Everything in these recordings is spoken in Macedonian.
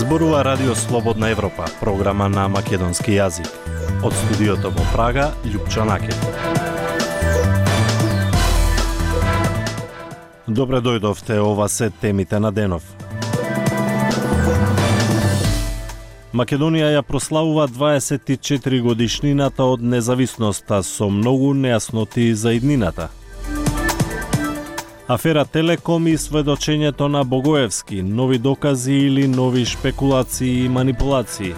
Зборува Радио Слободна Европа, програма на македонски јазик. Од студиото во Прага, Љупчо Накет. Добре дојдовте, ова се темите на денов. Македонија ја прославува 24 годишнината од независноста со многу нејасноти за иднината. Афера Телеком и сведочењето на Богоевски, нови докази или нови шпекулации и манипулации.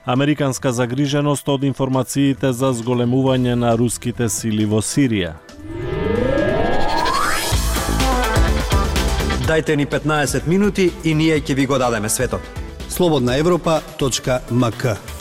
Американска загриженост од информациите за зголемување на руските сили во Сирија. Дајте ни 15 минути и ние ќе ви го дадеме светот. slobodnaevropa.mk.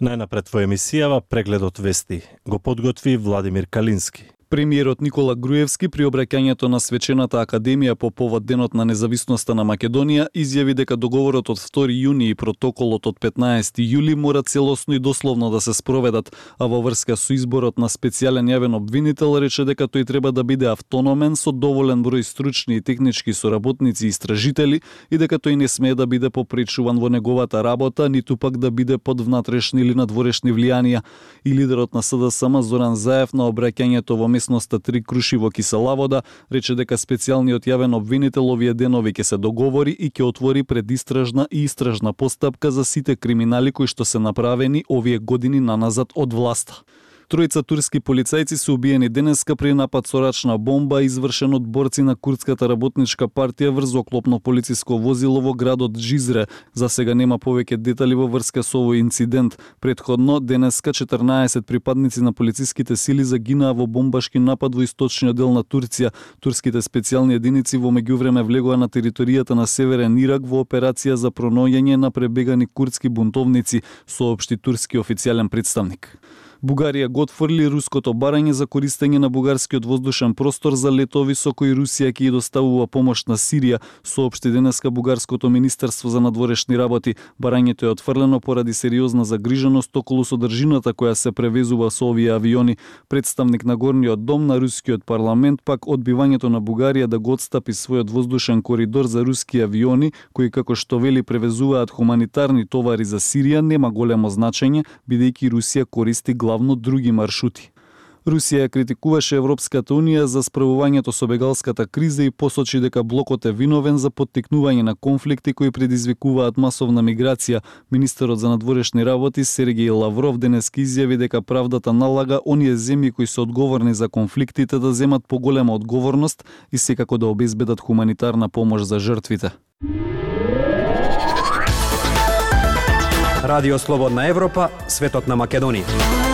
Најнапред во емисијава прегледот вести го подготви Владимир Калински. Премиерот Никола Груевски при обраќањето на Свечената академија по повод Денот на независноста на Македонија изјави дека договорот од 2 јуни и протоколот од 15 јули мора целосно и дословно да се спроведат, а во врска со изборот на специјален јавен обвинител рече дека тој треба да биде автономен со доволен број стручни и технички соработници и истражители и дека тој не смее да биде попречуван во неговата работа, ниту пак да биде под внатрешни или надворешни влијанија. И лидерот на СДСМ Зоран Заев на обраќањето во местноста Три Круши во Киселавода рече дека специјалниот јавен обвинител овие денови ќе се договори и ќе отвори предистражна и истражна постапка за сите криминали кои што се направени овие години наназад од власта. Тројца турски полицајци се убиени денеска при напад со рачна бомба извршен од борци на Курдската работничка партија врз оклопно полициско возило во градот Жизре. За сега нема повеќе детали во врска со овој инцидент. Претходно денеска 14 припадници на полициските сили загинаа во бомбашки напад во источниот дел на Турција. Турските специјални единици во меѓувреме влегоа на територијата на Северен Ирак во операција за пронаоѓање на пребегани курдски бунтовници, соопшти турски официјален представник. Бугарија го отфрли руското барање за користење на бугарскиот воздушен простор за летови со кои Русија ќе доставува помош на Сирија, соопшти денеска бугарското министерство за надворешни работи. Барањето е отфрлено поради сериозна загриженост околу содржината која се превезува со овие авиони. Представник на горниот дом на рускиот парламент пак одбивањето на Бугарија да го отстапи својот воздушен коридор за руски авиони, кои како што вели превезуваат хуманитарни товари за Сирија, нема големо значење, бидејќи Русија користи главно други маршрути. Русија критикуваше Европската Унија за справувањето со бегалската криза и посочи дека блокот е виновен за поттикнување на конфликти кои предизвикуваат масовна миграција. Министерот за надворешни работи Сергеј Лавров денеска изјави дека правдата налага оние земји кои се одговорни за конфликтите да земат поголема одговорност и секако да обезбедат хуманитарна помош за жртвите. Радио Слободна Европа, светот на Македонија.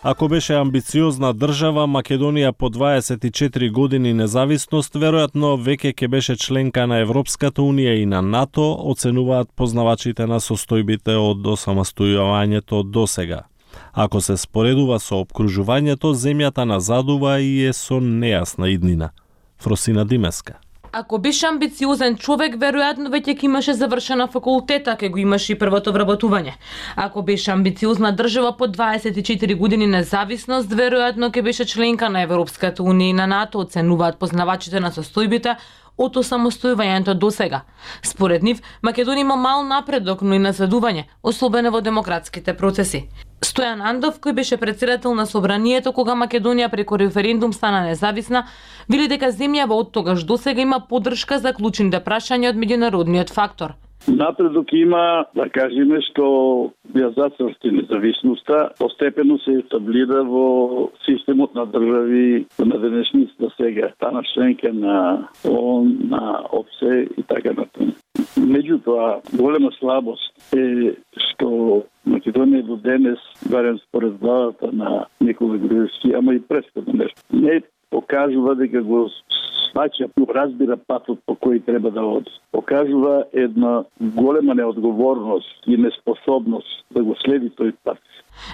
Ако беше амбициозна држава, Македонија по 24 години независност веројатно веќе ќе беше членка на Европската Унија и на НАТО, оценуваат познавачите на состојбите од осамостојувањето до сега. Ако се споредува со опкружувањето, земјата назадува и е со нејасна иднина. Фросина Димеска. Ако беше амбициозен човек, веројатно веќе ќе имаше завршена факултета, ке го имаше и првото вработување. Ако беше амбициозна држава по 24 години независност, веројатно ќе беше членка на Европската Унија и на НАТО, оценуваат познавачите на состојбите од осамостојувањето до сега. Според нив, Македонија има мал напредок, но и назадување, особено во демократските процеси. Стојан Андов, кој беше председател на собранието кога Македонија преку референдум стана независна, вели дека земјава од тогаш до сега има поддршка за клучните прашања од меѓународниот фактор. Напредок има, да кажеме, што ја зацрсти независноста, постепено се етаблира во системот на држави на денешница сега, стана членка на ООН, на ОПСЕ и така натаму. Меѓутоа, голема слабост е што Македонија до денес, барем според главата на Никола Груевски, ама и претходно нешто, не покажува дека го сваќа, разбира патот по кој треба да оди. Покажува една голема неодговорност и неспособност да го следи тој пат.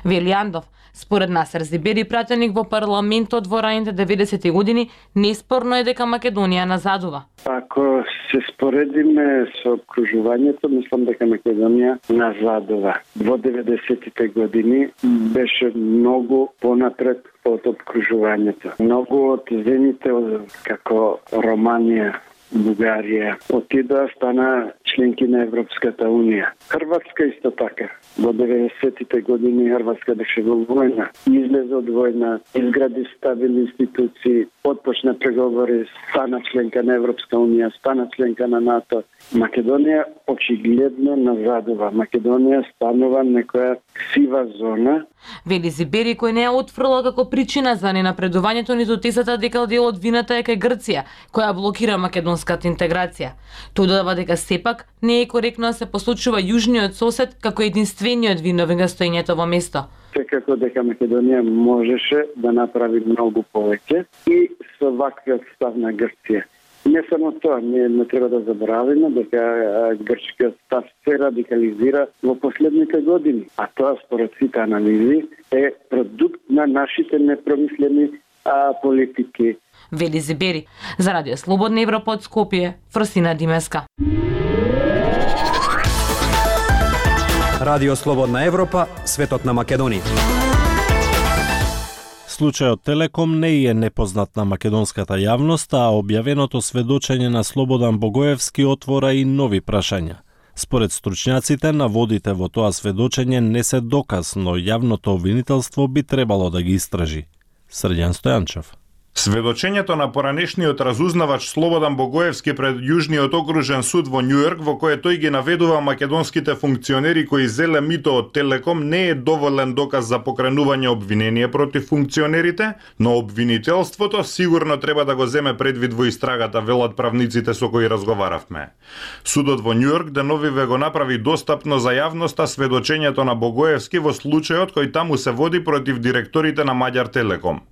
Вели Андов, според Насер Зибери, пратеник во парламентот во раните 90-ти години, неспорно е дека Македонија назадува. Ако се споредиме со окружувањето, мислам дека Македонија назадува. Во 90-тите години беше многу понапред од обкружувањето. Многу од земјите како Романија, Бугарија отидоа, стана членки на Европската Унија. Хрватска исто така. Во 90-тите години Хрватска беше во војна. Излезе од војна, изгради стабилни институции, отпочна преговори, стана членка на Европска Унија, стана членка на НАТО. Македонија очигледно назадува. Македонија станува некоја сива зона. Вели Зибери, кој не ја отфрла како причина за ненапредувањето ниту тезата дека дел од вината е кај Грција, која блокира македонската интеграција. Тој додава дека сепак не е коректно да се послучува јужниот сосед како единствениот виновен за стоењето во место. Секако дека Македонија можеше да направи многу повеќе и со ваквиот став на Грција. Не само тоа, ние не треба да забораваме дека грчкиот став се радикализира во последните години, а тоа според сите анализи е продукт на нашите непромислени политики. Вели Зибери. За Радио Слободна Европа од Скопје, Фросина Димеска. Радио Слободна Европа, светот на Македонија. Случајот Телеком не е непознат на македонската јавност, а објавеното сведочење на Слободан Богоевски отвора и нови прашања. Според стручњаците, наводите во тоа сведочење не се доказ, но јавното обвинителство би требало да ги истражи. Срđan Стојанчев. Сведочењето на поранешниот разузнавач Слободан Богоевски пред Јужниот окружен суд во Њујорк, во кое тој ги наведува македонските функционери кои зеле мито од Телеком, не е доволен доказ за покренување обвинение против функционерите, но обвинителството сигурно треба да го земе предвид во истрагата, велат правниците со кои разговаравме. Судот во Њујорк деновиве го направи достапно за јавноста сведочењето на Богоевски во случајот кој таму се води против директорите на Маѓар Телеком.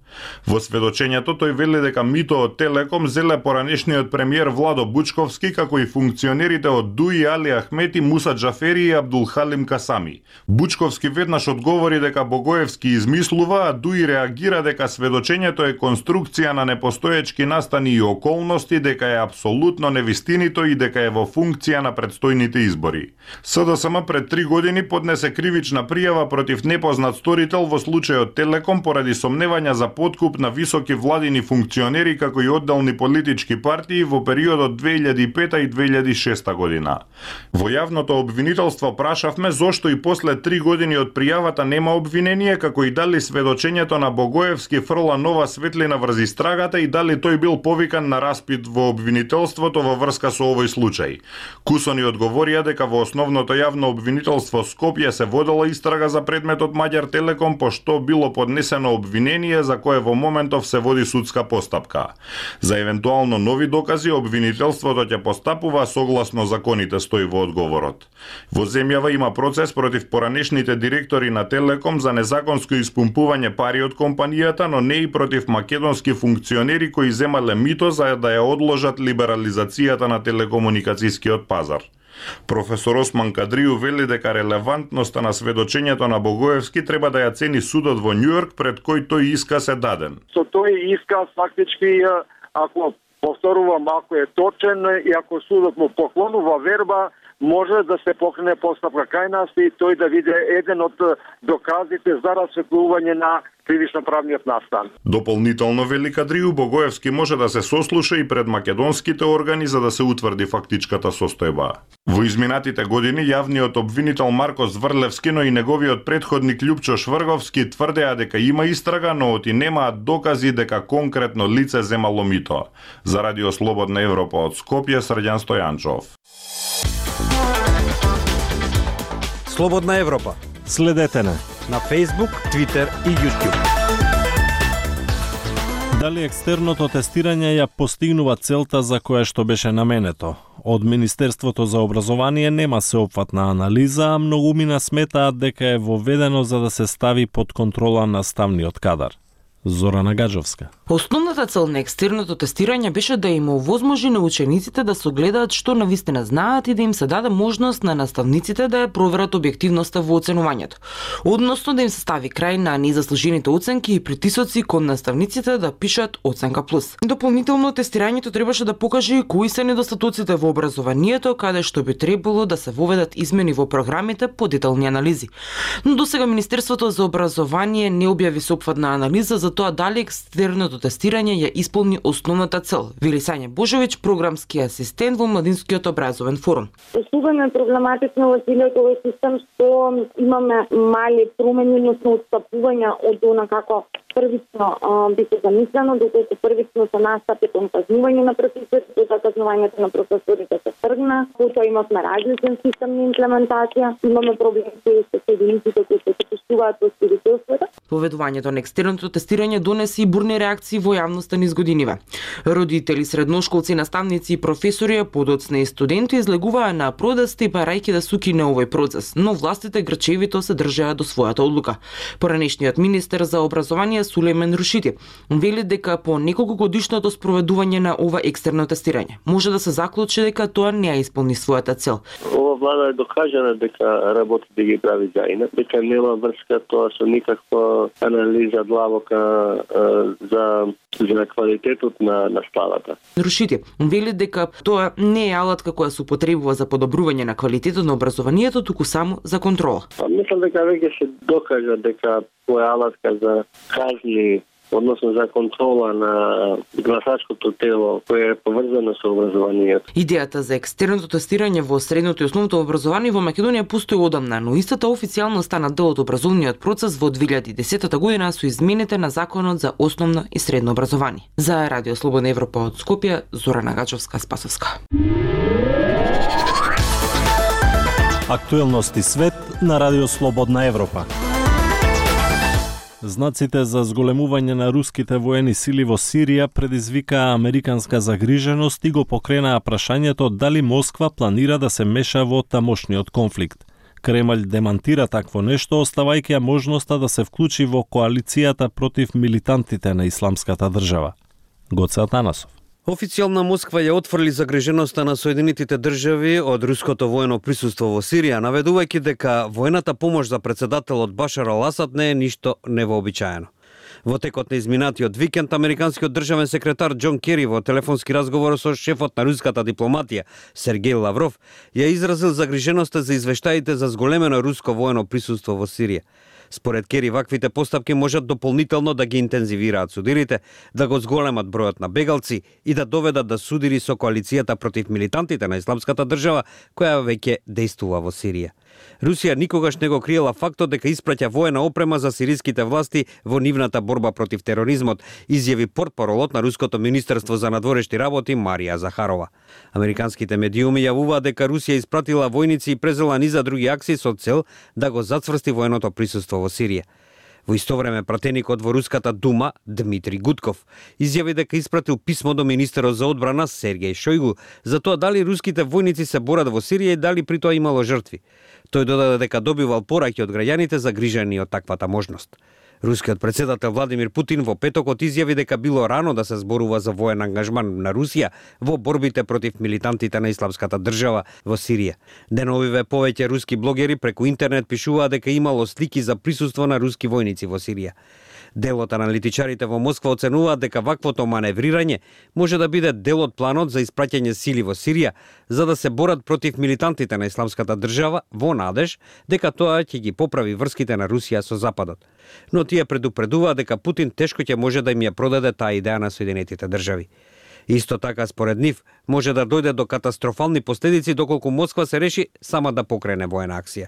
Во сведочењето тој вели дека мито од Телеком зеле поранешниот премиер Владо Бучковски, како и функционерите од Дуи Али Ахмети, Муса Џафери и Абдулхалим Касами. Бучковски веднаш одговори дека Богоевски измислува, а Дуи реагира дека сведочењето е конструкција на непостоечки настани и околности, дека е апсолутно невистинито и дека е во функција на предстојните избори. СДСМ пред 3 години поднесе кривична пријава против непознат сторител во случајот Телеком поради сомневања за подкуп на високи владини функционери како и одделни политички партии во периодот 2005 и 2006 година. Во јавното обвинителство прашавме зошто и после 3 години од пријавата нема обвинение, како и дали сведочењето на Богоевски фрла нова светлина врз истрагата и дали тој бил повикан на распит во обвинителството во врска со овој случај. Кусони одговорија дека во основното јавно обвинителство Скопје се водела истрага за предметот Маѓар Телеком, пошто било поднесено обвинение за кое во моментов се води судска постапка. За евентуално нови докази обвинителството ќе постапува согласно законите, стои во одговорот. Во земјава има процес против поранешните директори на Телеком за незаконско испумпување пари од компанијата, но не и против македонски функционери кои земале мито за да ја одложат либерализацијата на телекомуникацијскиот пазар. Професор Осман Кадрију вели дека релевантноста на сведочењето на Богоевски треба да ја цени судот во Њујорк пред кој тој исказ е даден. Со тој исказ фактички, ако повторувам, ако е точен и ако судот му поклонува верба, може да се покрене постапка кај нас и тој да биде еден од доказите за расветлување на кривично-правниот настан. Дополнително вели Кадрију, Богоевски може да се сослуша и пред македонските органи за да се утврди фактичката состојба. Во изминатите години јавниот обвинител Марко Зврлевски, но и неговиот предходник Љупчо Шврговски тврдеа дека има истрага, но оти немаат докази дека конкретно лице земало мито. За Радио Слободна Европа од Скопје, Срđan Стојанчов. Слободна Европа. Следете на Facebook, Twitter и YouTube. Дали екстерното тестирање ја постигнува целта за која што беше наменето? Од Министерството за образование нема сеопфатна анализа, а многумина сметаат дека е воведено за да се стави под контрола наставниот кадар. Зорана Гаджовска. Основната цел на екстерното тестирање беше да им овозможи на учениците да согледаат што навистина знаат и да им се даде можност на наставниците да ја проверат објективноста во оценувањето. Односно да им се стави крај на незаслужените оценки и притисоци кон наставниците да пишат оценка плюс. Дополнително тестирањето требаше да покаже кои се недостатоците во образованието, каде што би требало да се воведат измени во програмите по детални анализи. Но досега Министерството за образование не објави сопфатна анализа за тоа дали екстерното тестирање ја исполни основната цел, вели Сања Божовиќ, програмски асистент во Младинскиот образовен форум. Особено е проблематично во целиот овој систем што имаме мали промени, односно отстапувања од она како првично биде замислено, доколку првично се настапи кон казнување на професорите, за казнувањето на професорите се тргна, потоа имавме различен систем на имплементација, имаме проблеми со единиците кои се почувствуваат во свидетелството. Поведувањето на екстерното тестирање донесе и бурни реакции во јавноста низ годиниве. Родители, средношколци, наставници и професори, подоцна и студенти излегуваа на протести барајќи да сукине овој процес, но властите грчевито се држаа до својата одлука. Поранешниот министер за образование Сулејмен Рушити вели дека по неколку годишното спроведување на ова екстерно тестирање може да се заклучи дека тоа не ја исполни својата цел. Ова влада е докажана дека работи да ги прави заина, дека нема врска тоа со никаква анализа длабока за квалитетот на школата. Рушити вели дека тоа не е алатка која се употребува за подобрување на квалитетот на образованието, туку само за контрола. Мислам дека веќе се докажа дека тоа е алатка за казни, односно за контрола на гласачкото тело кое е поврзано со образованието. Идејата за екстерното тестирање во средното и основното образование во Македонија постои одамна, но истата официјално стана дел од образовниот процес во 2010 година со измените на Законот за основно и средно образование. За Радио Слободна Европа од Скопје, Зорана Гачовска-Спасовска. Актуелности свет на Радио Слободна Европа. Знаците за зголемување на руските воени сили во Сирија предизвикаа американска загриженост и го покренаа прашањето дали Москва планира да се меша во тамошниот конфликт. Кремљ демантира такво нешто, оставајќи ја можноста да се вклучи во коалицијата против милитантите на Исламската држава. Гоце Атанасов. Официјална Москва ја отфрли загриженоста на Соединетите држави од руското воено присуство во Сирија, наведувајќи дека воената помош за председателот Башар ал-Асад не е ништо невообичаено. Во текот на изминатиот викенд, американскиот државен секретар Џон Кери во телефонски разговор со шефот на руската дипломатија Сергеј Лавров ја изразил загриженоста за извештаите за зголемено руско воено присуство во Сирија. Според Кери, ваквите постапки можат дополнително да ги интензивираат судирите, да го зголемат бројот на бегалци и да доведат до судири со коалицијата против милитантите на Исламската држава, која веќе дејствува во Сирија. Русија никогаш не го криела фактот дека испраќа воена опрема за сириските власти во нивната борба против тероризмот, изјави портпаролот на Руското министерство за надворешни работи Марија Захарова. Американските медиуми јавуваат дека Русија испратила војници и презела низа други акции со цел да го зацврсти военото присуство во Сирија. Во исто време, пратеникот во Руската дума, Дмитрий Гудков, изјави дека испратил писмо до министерот за одбрана Сергеј Шојгу за тоа дали руските војници се борат во Сирија и дали при тоа имало жртви. Тој додаде дека добивал пораки од граѓаните загрижени од таквата можност. Рускиот председател Владимир Путин во петокот изјави дека било рано да се зборува за воен ангажман на Русија во борбите против милитантите на Исламската држава во Сирија. Деновиве повеќе руски блогери преку интернет пишуваа дека имало слики за присуство на руски војници во Сирија. Дел од аналитичарите во Москва оценуваат дека ваквото маневрирање може да биде дел од планот за испраќање сили во Сирија за да се борат против милитантите на Исламската држава во надеж дека тоа ќе ги поправи врските на Русија со Западот. Но тие предупредуваат дека Путин тешко ќе може да им ја продаде таа идеја на Соединетите држави. Исто така, според нив, може да дојде до катастрофални последици доколку Москва се реши сама да покрене воена акција.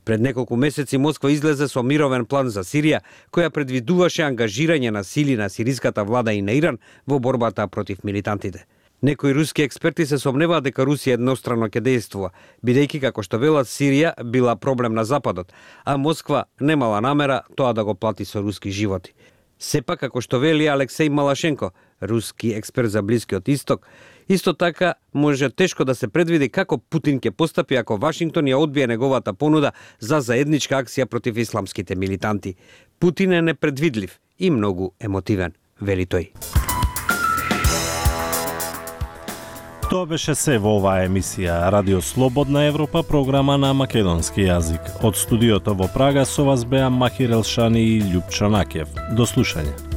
Пред неколку месеци Москва излезе со мировен план за Сирија, која предвидуваше ангажирање на сили на сириската влада и на Иран во борбата против милитантите. Некои руски експерти се сомневаат дека Русија еднострано ќе дејствува, бидејќи како што велат Сирија била проблем на Западот, а Москва немала намера тоа да го плати со руски животи. Сепак, како што вели Алексеј Малашенко, руски експерт за Блискиот Исток, исто така може тешко да се предвиди како Путин ќе постапи ако Вашингтон ја одбие неговата понуда за заедничка акција против исламските милитанти. Путин е непредвидлив и многу емотивен, вели тој. Тоа беше се во оваа емисија Радио Слободна Европа, програма на македонски јазик. Од студиото во Прага со вас беа Махир Елшани и Љупчо Накев. До слушање.